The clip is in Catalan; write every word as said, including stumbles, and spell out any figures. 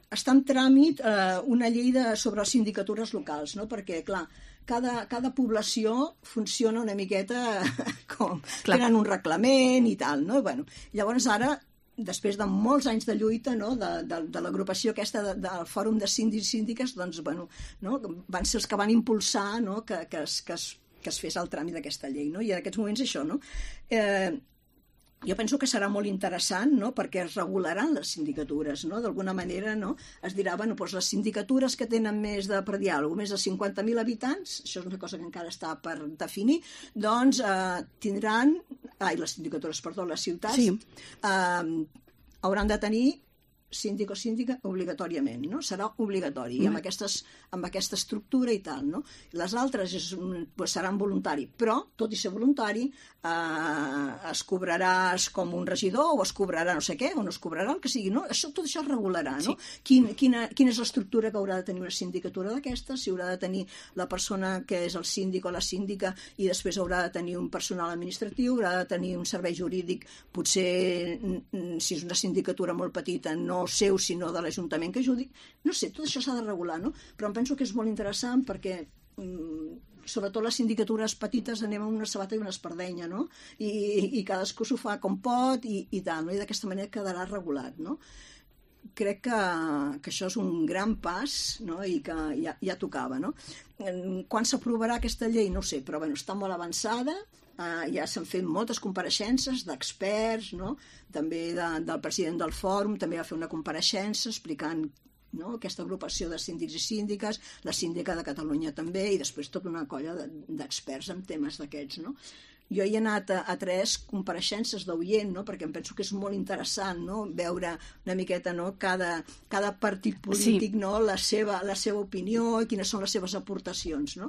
està en tràmit eh, una llei de, sobre les sindicatures locals, no? Perquè, clar, cada, cada població funciona una miqueta com tenen un reglament i tal, no? Bueno, llavors ara, després de molts anys de lluita, no? de, de, de l'agrupació aquesta de, del Fòrum de Síndics i Síndiques, doncs, bueno, no? van ser els que van impulsar, no? que, que, es, que, es, que es fes el tràmit d'aquesta llei, no? I en aquests moments això, no? Eh, jo penso que serà molt interessant, no? Perquè es regularan les sindicatures, no? D'alguna manera, no? Es dirà, bueno, doncs les sindicatures que tenen més de, per dir alguna cosa, més de cinquanta mil habitants, això és una cosa que encara està per definir, doncs eh, tindran, ai, les sindicatures, perdó, les ciutats, sí. eh, hauran de tenir síndic o síndica obligatòriament, no? Serà obligatori, mm. amb, aquestes, amb aquesta estructura i tal, no? Les altres és, pues, seran voluntari, però, tot i ser voluntari, eh, es cobraràs com un regidor o es cobrarà no sé què, o no es cobrarà el que sigui, no? Això, tot això es regularà, no? Sí. Quin, quina, quina és l'estructura que haurà de tenir una sindicatura d'aquestes, si haurà de tenir la persona que és el síndic o la síndica i després haurà de tenir un personal administratiu, haurà de tenir un servei jurídic, potser, si és una sindicatura molt petita, no seu, sinó de l'Ajuntament que ajudi. No sé, tot això s'ha de regular, no? Però em penso que és molt interessant perquè mm, sobretot les sindicatures petites anem amb una sabata i una espardenya, no? I, i cadascú s'ho fa com pot i, i tal, no? I d'aquesta manera quedarà regulat, no? Crec que, que això és un gran pas, no? I que ja, ja tocava, no? Quan s'aprovarà aquesta llei? No ho sé, però bueno, està molt avançada. Uh, ja s'han fet moltes compareixences d'experts, no? També de, del president del fòrum, també va fer una compareixença explicant, no? Aquesta agrupació de síndics i síndiques, la síndica de Catalunya també, i després tota una colla d'experts en temes d'aquests, no? Jo hi he anat a, a tres compareixences d'oient, no? Perquè em penso que és molt interessant, no? Veure una miqueta, no? cada, cada partit polític, sí. No? la, seva, la seva opinió i quines són les seves aportacions, no?